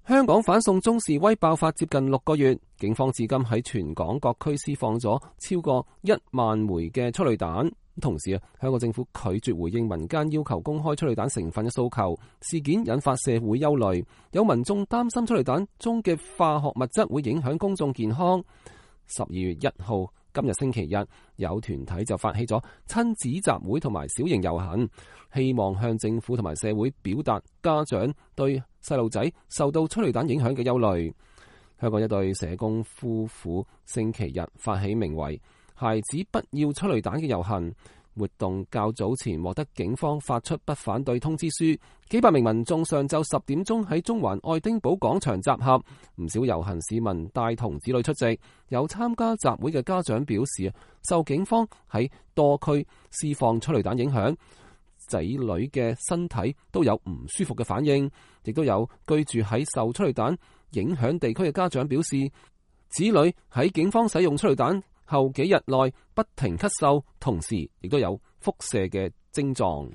香港反送中示威爆發接近6個月，警方至今喺全港各區施放咗超過1萬枚嘅催淚彈。同時香港政府拒絕回應民間要求公開催淚彈成分嘅訴求，事件引發社會憂慮，有民眾擔心催淚彈中嘅化學物質會影響公眾健康。12月1號今日星期日，有團體就發起咗親子集會同埋小型遊行，希望向政府同埋社會表達家長對細路仔受到催淚彈影響嘅憂慮。香港一對社工夫婦星期日發起名為孩子不要催淚彈嘅遊行活動，較早前獲得警方發出不反對通知書，幾百名民眾上晝10點鐘喺中環愛丁堡廣場集合，唔少遊行市民帶同子女出席。有參加集會嘅家長表示，受警方喺多區施放催淚彈影響，仔女嘅身體都有唔舒服嘅反應。亦都有居住喺受催淚彈影響地區嘅家長表示，子女喺警方使用催淚彈後幾日內不停咳嗽，同時亦都有腹瀉嘅症狀。